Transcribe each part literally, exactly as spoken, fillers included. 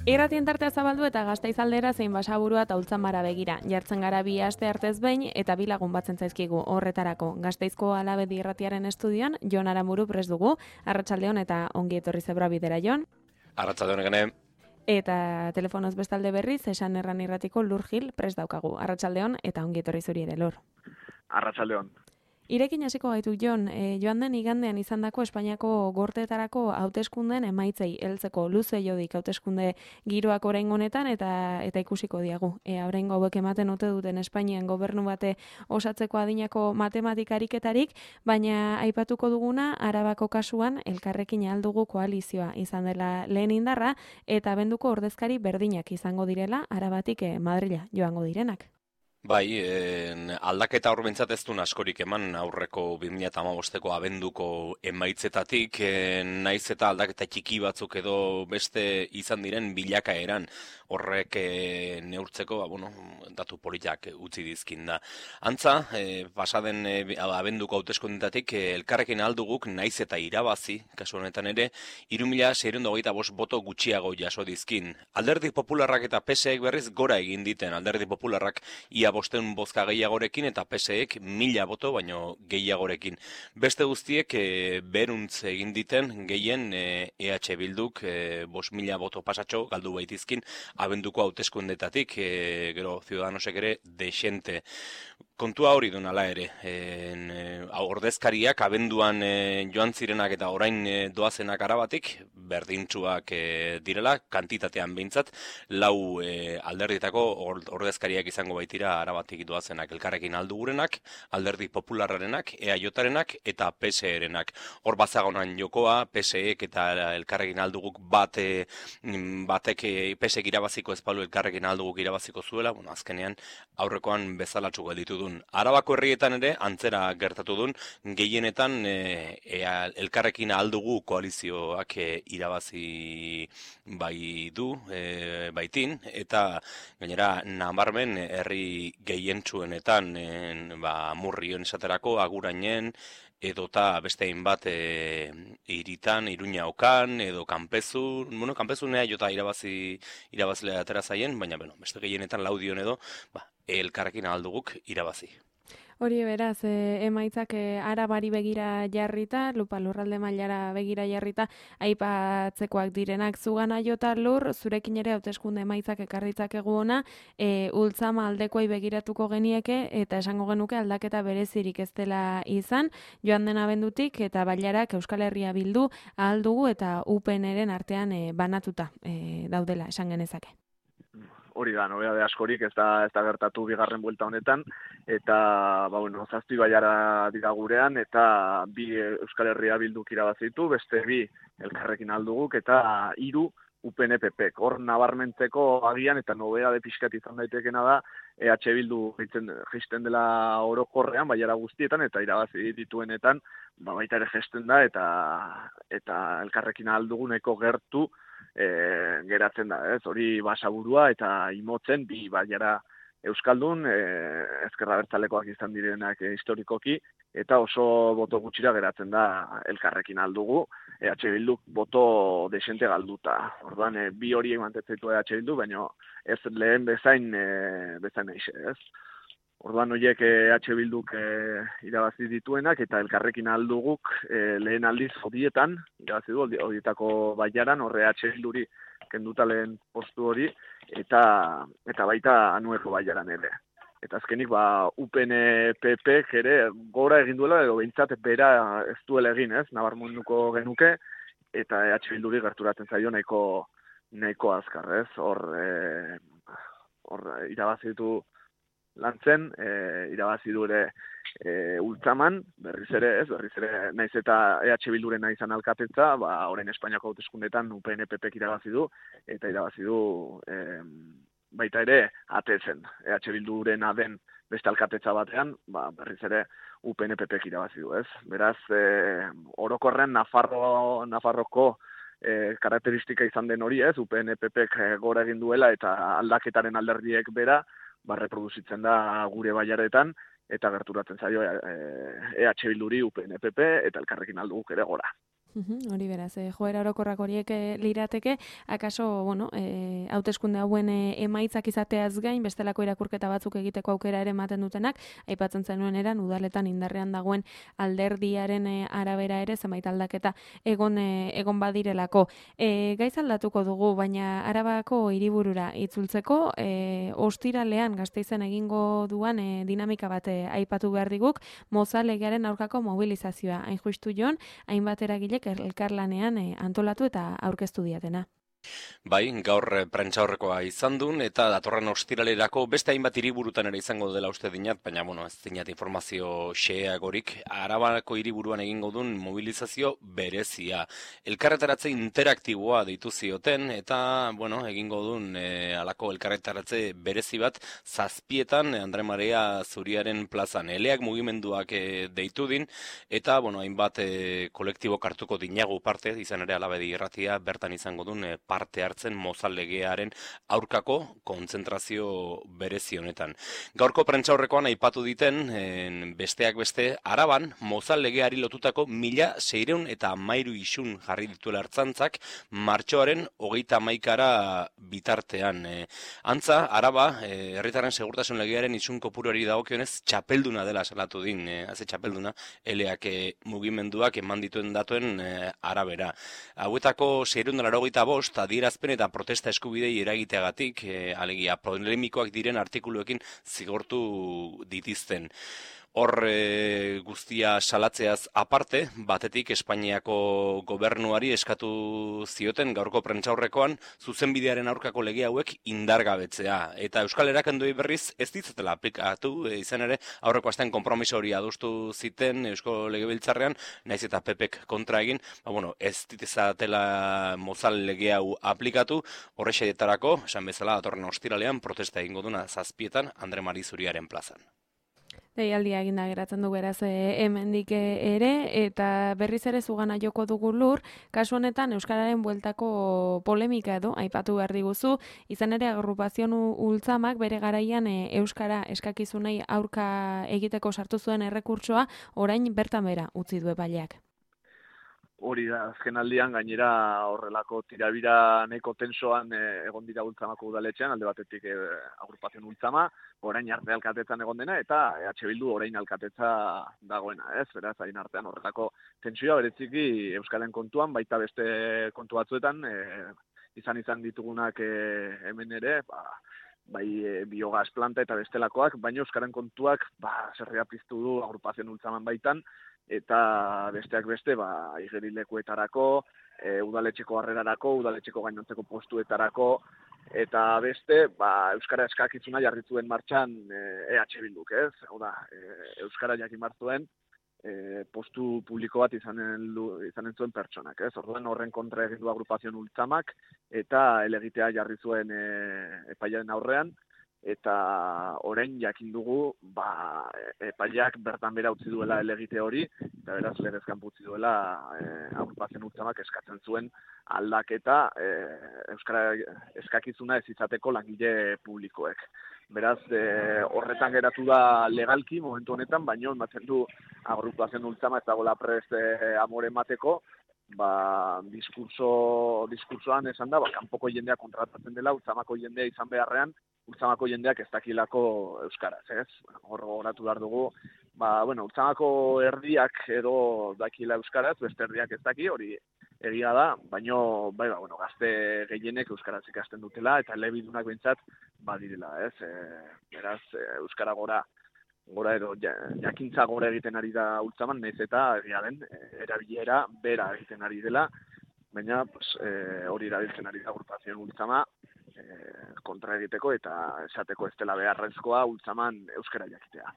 Irratien tartea zabaldu eta Gasteiz aldera zein Basaburua eta Ultzamara begira. Jartzen gara bi aste artez behin eta bi lagun batzen zaizkigu horretarako. Gasteizko Alabedi Irratiaren estudioan Jon Aramuru prest dugu. Arratsaldeon eta ongi etorri Zebra bidera, Jon. Arratsaldeon gene. Eta telefonoz bestalde berriz Esan Erran Irratiko Lur Gil prest daukagu. Arratsaldeon eta ongi etorri zuri ere, Lur. Arratsaldeon. Irekin hasiko gaitu, Jon, e, joan den igandean izandako Espainiako gorteetarako hauteskundeen emaitzei heltzeko luze jodik hauteskunde giroak oraingo honetan eta eta ikusiko diagu. E, oraingo hauek ematen ote duten Espainian gobernu bate osatzeko adinako matematika-ariketarik, baina aipatuko duguna Arabako kasuan elkarrekin aldugu koalizioa izan dela lehen indarra eta abenduko ordezkari berdinak izango direla Arabatik e, Madrila joango direnak. Bai, en, aldaketa hor bintzat ez duen askorik eman aurreko bi mila hamabosteko abenduko emaitzetatik, en, naiz eta aldaketa txiki batzuk edo beste izan diren bilakaeran horrek e, neurtzeko, ba, bueno, datu politak utzi dizkin da. Antza, e, pasaden e, abenduko hauteskundetatik e, elkarrekin alduguk naiz eta irabazi, kasu honetan ere, hiru mila seiehun eta hogeita bost boto gutxiago jaso dizkin. Alderdi Popularrak eta P S Ek berriz gora egin diten, Alderdi Popularrak ia bosteun bozka gehiagorekin eta P S Ek mila boto baino gehiagorekin. Beste guztiek e, beruntz egin diten gehien e, E H Bilduk e, bost mila boto pasatxo galdu baitizkin abenduko hauteskundetatik, e, gero Ciudadanosek ere desente. Kontua hori duen ala ere, en, e, ordezkariak abenduan e, joan zirenak eta orain e, doazenak Arabatik, berdintsuak e, direla, kantitatean behintzat, lau e, alderdietako ordezkariak izango baitira Arabatik doazenak, elkarrekin aldugurenak, alderdi popularrarenak, E A J-arenak eta P S E-renak. Hor bazagonan jokoa, P S Ek eta elkarrekin alduguk bate, batek P S Ek irabaziko ezpalu elkarrekin alduguk irabaziko zuela, bueno, azkenean aurrekoan bezalatxu gelditu duen. Arabako herrietan ere, antzera gertatu duen, gehienetan e, e, elkarrekin aldugu koalizioak e, irabazi bai du, e, baitin, eta gainera nabarmen herri gehientsuenetan, en, ba, Murrion esaterako, Agurainen, edota beste hainbat e, iritan, Iruña Okan, edo Kanpezu, bueno, Kanpezunea jota irabazi irabazlea atera zaien, baina bueno, beste gehienetan laudion edo, ba, elkarrekin alduguk irabazi. Hori beraz, e, emaitzak e, Arabari begira jarrita, lupa lurralde mailara begira jarrita, aipatzekoak direnak zugana jota Lur, zurekin ere hauteskunde emaitzak ekarritzakegu ona, e, Ultzama aldekoei begiratuko genieke eta esango genuke aldaketa berezirik ez dela izan, joan den abendutik eta bailarak Euskal Herria Bildu ahal dugu eta U P N-ren artean e, banatuta e, daudela, esan genezake. Hori da, nobedade askorik ez da, ez da gertatu bigarren buelta honetan, eta ba, bueno, zazpi baiara dira gurean, eta bi Euskal Herria Bilduk irabazitu, beste bi elkarrekin alduguk, eta hiru U P N P Pek. Hor nabarmentzeko agian, eta nobedade pixkat izan daitekena da, E H Bildu jisten dela orokorrean, baiara guztietan, eta irabazi dituenetan, ba, baita ere jesten da, eta, eta elkarrekin alduguneko gertu, E, geratzen da, ez, hori Basaburua eta Imotzen bi baiara euskaldun, e, ezkerra bertzalekoak izan direnak e, historikoki, eta oso boto gutxira geratzen da elkarrekin aldugu, E H Bilduk boto desente galduta. Orduan, e, bi horiek mantetzeitu E H Bildu, baina ez lehen bezain, e, bezain eixe, ez. Orduan horiek E H Bilduk e, irabazi dituenak eta elkarrekin alduguk e, lehen aldiz hodietan, irabazi du hodietako baiaran, horre E H Bilduri kenduta lehen postu hori, eta eta baita anueko baiaran ere. Eta azkenik, ba, U P N P Pek ere gora egin duela, edo behintzat bera ez duela egin, ez, nabarmenduko genuke, eta E H Bilduri gerturatzen zaio nahiko, nahiko azkar, ez, hor, e, hor irabazi ditu lantzen, e, irabazi du ere e, Ultzaman, berriz ere, ez, berriz ere, naiz eta E H Bildurena izan alkatetza, ba, orain Espainiako hauteskundetan U P N P Pek irabazi du, eta irabazi du e, baita ere atetzen. E H Bildurena den beste alkatetza batean, ba, berriz ere U P N P Pek irabazi du, ez. Beraz, e, orokorren Nafarro, Nafarroko e, karakteristika izan den hori, ez, U P N P Pek gora egin duela eta aldaketaren alderdiek bera, ba, reproduzitzen da gure baiaretan, eta gerturatzen zaio E H Bilduri U P N P P eta elkarrekin alduguk ere gora. Uhum, hori beraz, e, joera orokorrak horiek e, lirateke, akaso, bueno, e, hauteskunde hauen e, emaitzak izateaz gain, bestelako irakurketa batzuk egiteko aukera ere ematen dutenak, aipatzen zenuen eran, udaletan indarrean dagoen alderdiaren e, arabera ere, zenbait aldaketa egon, e, egon badirelako. E, gaiz aldatuko dugu, baina Arabako hiriburura itzultzeko, e, ostiralean Gasteizen egingo duan e, dinamika bat e, aipatu behar diguk, Moza legearen aurkako mobilizazioa. Hain justu jon, hainbat eragilek elkarlanean eh, antolatu eta aurkeztu diatena. Bai, gaur eh, prentsaurrekoa izan duen, eta datorren ostiralerako beste hainbat hiriburutan ere izango dela uste dinat, baina, bueno, ez dinat informazio xeagorik, Arabako hiriburuan egingo duen mobilizazio berezia. Elkarretaratze interaktiboa deitu zioten, eta, bueno, egingo duen e, alako elkarretaratze berezi bat, zazpietan Andre Marea Zuriaren plazan. Eleak mugimenduak e, deitu din, eta, bueno, hainbat e, kolektibo kartuko dinagu parte, izan ere Alabedi irratia, bertan izango duen e, parte hartzen Mozal legearen aurkako kontzentrazio berezi honetan. Gaurko prentsaurrekoan aipatu diten, en, besteak beste, Araban Mozal legeari lotutako mila seireun eta hamairu isun jarri dituela ertzaintzak martxoaren hogeita hamaikara bitartean. E, antza, Araba, e, herritarren segurtasun legearen isun kopuruari dagokionez txapelduna dela salatu din, e, haze txapelduna, eleak e, mugimenduak eman dituen datuen e, arabera. Hauetako seireun eta laurogeita bost adierazpen eta protesta eskubidei eragiteagatik, e, alegia polemikoak diren artikuluekin zigortu ditizten. Hor e, guztia salatzeaz aparte, batetik Espainiako gobernuari eskatu zioten gaurko prentsaurrekoan zuzenbidearen aurkako lege hauek indargabetzea. Eta Euskal Erakendoi berriz ez ditzatela aplikatu, e, izan ere aurreko astean konpromiso hori adostu ziten Eusko Legebiltzarrean, naiz eta P Pek kontra egin, ba, bueno, ez ditzatela Mozal lege hau aplikatu, horrexetarako, esan bezala, datorren ostiralean protesta egingo duna zazpietan Andre Mari Zuriaren plazan. Deialdia eginda geratzen du beraz e, hemendik ere, eta berriz ere zugana joko dugu lur, kasu honetan Euskararen bueltako polemika edo, aipatu behar diguzu, izan ere agrupazion ultzamak bere garaian e, Euskara eskakizunei aurka egiteko sartu zuen errekurtsoa, orain bertan bera utzi du epaileak. Hori da, azken aldian gainera horrelako tirabira nahiko tensoan e, egon dira ultzamako udaletxean, alde batetik e, agrupazion ultzama, orain arte alkatetzan egon dena, eta E H Bildu orain alkatetza dagoena, ez? Beraz, hain artean horrelako tentsioa bereziki Euskalen kontuan, baita beste kontu batzuetan, e, izan izan ditugunak e, hemen ere, ba, bai e, biogaz planta eta bestelakoak, baina Euskaren kontuak ba, zerria piztu du agrupazion ultzaman baitan, eta besteak beste, ba, igerilekuetarako, e, udaletxeko harrerarako, udaletxeko gainontzeko postuetarako, eta beste, ba, Euskara eskakizuna jarri zuen martxan e, E H Bilduk, ez? Hau da, e, Euskara jakin martzuen, e, postu publiko bat izanen, izanen zuen pertsonak, ez? Orduan horren kontra egin du agrupazion ultzamak, eta elegitea jarri zuen e, epaiaren aurrean, eta orain jakin dugu ba, epaileak bertan bera utzi duela elegite hori, eta beraz legez kanpo utzi duela e, agrupazion ultzamak eskatzen zuen aldaketa e, Euskara eskakizuna ez izateko langile publikoek. Beraz, e, horretan geratu da legalki momentu honetan, baino ematen du agrupazion ultzama ez dagoela prest e, amore emateko, ba, diskurso, diskursoan esan da, ba, kanpoko jendea kontratatzen dela, ultzamako jendea izan beharrean, ultzamako jendeak ez dakilako euskaraz, ez? Hor gogoratu behar dugu, ba, bueno, ultzamako erdiak edo dakila euskaraz, beste erdiak ez daki, hori egia da, baino, bai, ba, bueno, gazte gehienek euskaraz ikasten dutela, eta elebidunak behintzat badirela, ez? E, beraz, e, euskara gora, gora edo jakintza gora egiten ari da ultzaman, nahiz eta egia den, erabilera bera egiten ari dela, baina pues, e, hori erabiltzen ari da agrupazion ultzama, kontra egiteko eta esateko ez dela beharrezkoa ultzaman euskara jakitea.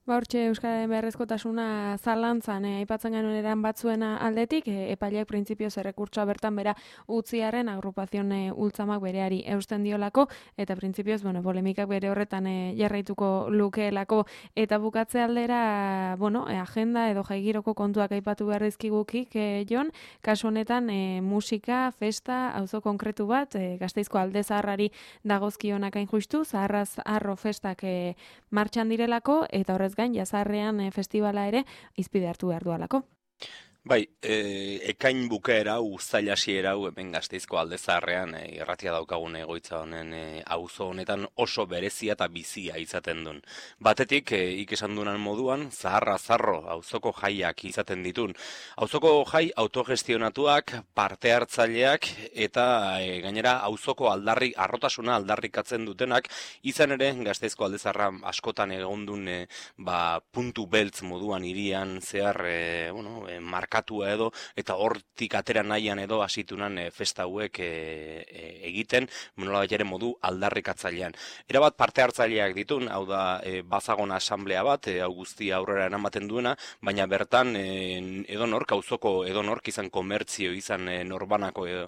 Ba, hortxe euskararen beharrezkotasuna zalantzan, eh, aipatzen genuen eran batzuena aldetik, eh, epaileak printzipioz errekurtsoa bertan bera utziaren agrupazion eh, ultzamak bereari eusten diolako, eta printzipioz, bueno, polemikak bere horretan eh, jarraituko lukeelako, eta bukatze aldera, bueno, eh, agenda edo jaigiroko kontuak aipatu beharrizkigukik, eh, Jon, kasu honetan eh, musika, festa, auzo konkretu bat, eh, Gasteizko alde zaharrari dagozkionak hain justu, zaharraz arro festak eh, martxan direlako, eta horrez gain, jazarrean e, festivala ere izpide hartu behar dualako. Bai, e, ekain bukaera, uztail hasiera hau hemen Gasteizko Alde Zaharrean e, irratia daukagun egoitza honen e, auzo honetan oso berezia eta bizia izaten duen. Batetik, e, ikesan duenan moduan, zaharra zarro auzoko jaiak izaten ditun. Auzoko jai autogestionatuak, parte hartzaileak eta e, gainera auzoko aldarri, arrotasuna aldarrikatzen dutenak, izan ere Gasteizko Alde Zaharra askotan egon duen e, ba, puntu beltz moduan hirian zehar e, bueno, e, markatua edo, eta hortik atera nahian edo hasitunan e, festa hauek e, e, egiten, nolabait ere modu aldarrikatzailean. Erabat parte hartzaileak ditun, hau da e, bazagon asamblea bat, e, hau guztia aurrera eramaten duena, baina bertan e, edonork, auzoko edonork izan komertzio, izan e, norbanako edo,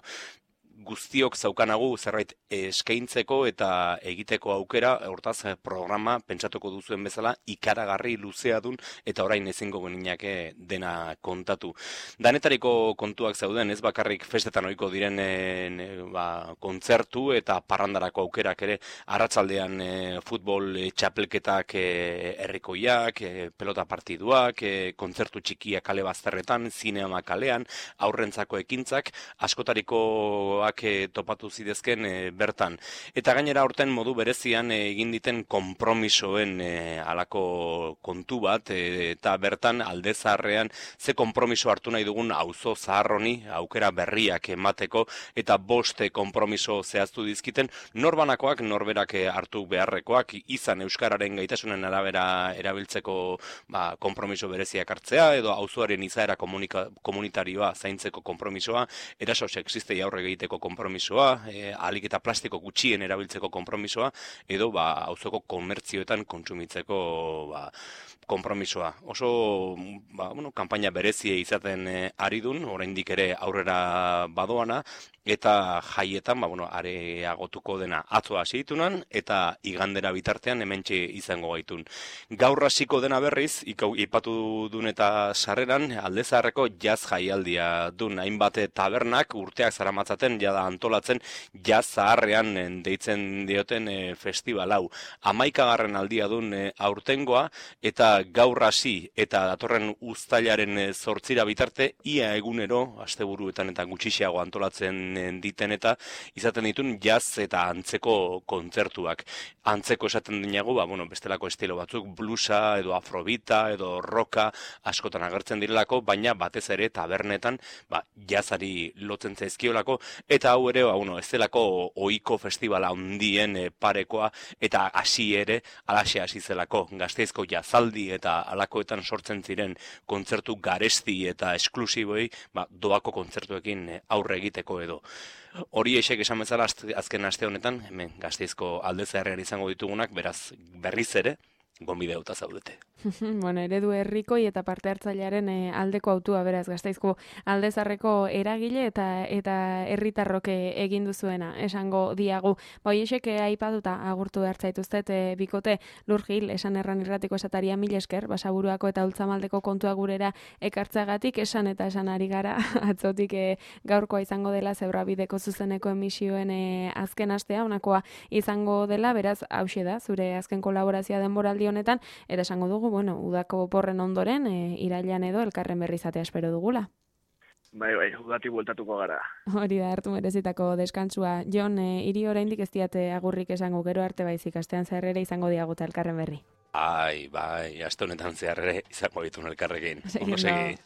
guztiok zaukanagu zerbait eskaintzeko eta egiteko aukera, hortaz programa pentsatuko duzuen bezala ikaragarri luzea dun eta orain ezingo geninake dena kontatu. Danetariko kontuak zauden, ez bakarrik festetan ohiko diren e, ba, kontzertu eta parrandarako aukerak ere, arratsaldean e, futbol e, txapelketak e, herrikoiak, e, pelota partiduak, e, kontzertu txikiak kale bazterretan, zinema kalean, aurrentzako ekintzak, askotariko topatu zidezken e, bertan. Eta gainera aurten modu berezian e, egin diten konpromisoen e, alako kontu bat, e, eta bertan Alde Zaharrean ze konpromiso hartu nahi dugun auzo zaharroni aukera berriak emateko, eta boste konpromiso zehaztu dizkiten, norbanakoak norberak hartu beharrekoak, izan euskararen gaitasunen arabera erabiltzeko ba, konpromiso bereziak hartzea, edo auzoaren izaera komunitarioa zaintzeko konpromisoa, eraso sexistei aurre egiteko konpromisoa, e, ahalik eta plastiko gutxien erabiltzeko konpromisoa, edo ba, auzoko komertzioetan kontsumitzeko ba, konpromisoa. Oso ba, bueno, kanpaina berezie izaten e, ari dun, oraindik ere aurrera badoana, eta jaietan ba, bueno, areagotuko dena atzo hasi ditunan, eta igandera bitartean hementxe izango gaitun. Gaur hasiko dena berriz, ikau, ipatu dun eta sarreran, Alde Zaharreko jaz jaialdia dun, hainbat tabernak urteak zaramatzaten jada antolatzen jaz zaharrean deitzen dioten e, festival hau. Hamaikagarren aldia dun e, aurtengoa, eta gaur hasi eta datorren uztailaren zortzira bitarte, ia egunero, asteburuetan eta gutxiago antolatzen diten eta izaten ditun jaz eta antzeko kontzertuak. Antzeko esaten dinagu, ba, bueno, bestelako estilo batzuk, bluesa edo afrobita edo roka askotan agertzen direlako, baina batez ere tabernetan ba, jazari lotzen zaizkiolako, eta hau ere, ba, bueno, ez delako ohiko festivala handien e, parekoa, eta hasi ere alaxe hasi zelako. Gasteizko jazaldi eta alakoetan sortzen ziren kontzertu garesti eta esklusiboi ba, doako kontzertuekin aurre egiteko edo. Hori esek esan bezala azken aste honetan, hemen Gasteizko Alde Zaharrean izango ditugunak, beraz berriz ere, gonbidatuta zaudete. Bueno, eredu herrikoi eta parte hartzailearen e, aldeko autua beraz Gasteizko Alde Zaharreko eragile eta eta herritarrok egin duzuena esango diagu. Ba hoiek aipatuta agurtu hartzaituztet e, bikote Lurgil esan erran irratiko esataria mil esker Basaburuako eta Ultzamaldeko kontua gurera ekartzagatik esan eta esan ari gara atzotik e, gaurkoa izango dela Zebrabideko zuzeneko emisioen e, azken astea honakoa izango dela, beraz hauxe da zure azken kolaborazioa denboraldi honetan, eta esango dugu bueno, udako porren ondoren, e, irailean edo elkarren berri izatea espero dugula. Bai, bai, udatik bueltatuko gara. Hori da, hartu merezitako deskantzua. Jon, e, hiri oraindik ez diate agurrik esango gero arte baizik, astean zehar ere izango diaguta elkarren berri. Ai, bai, aste honetan zehar ere izango ditun elkarrekin. Ondo segi.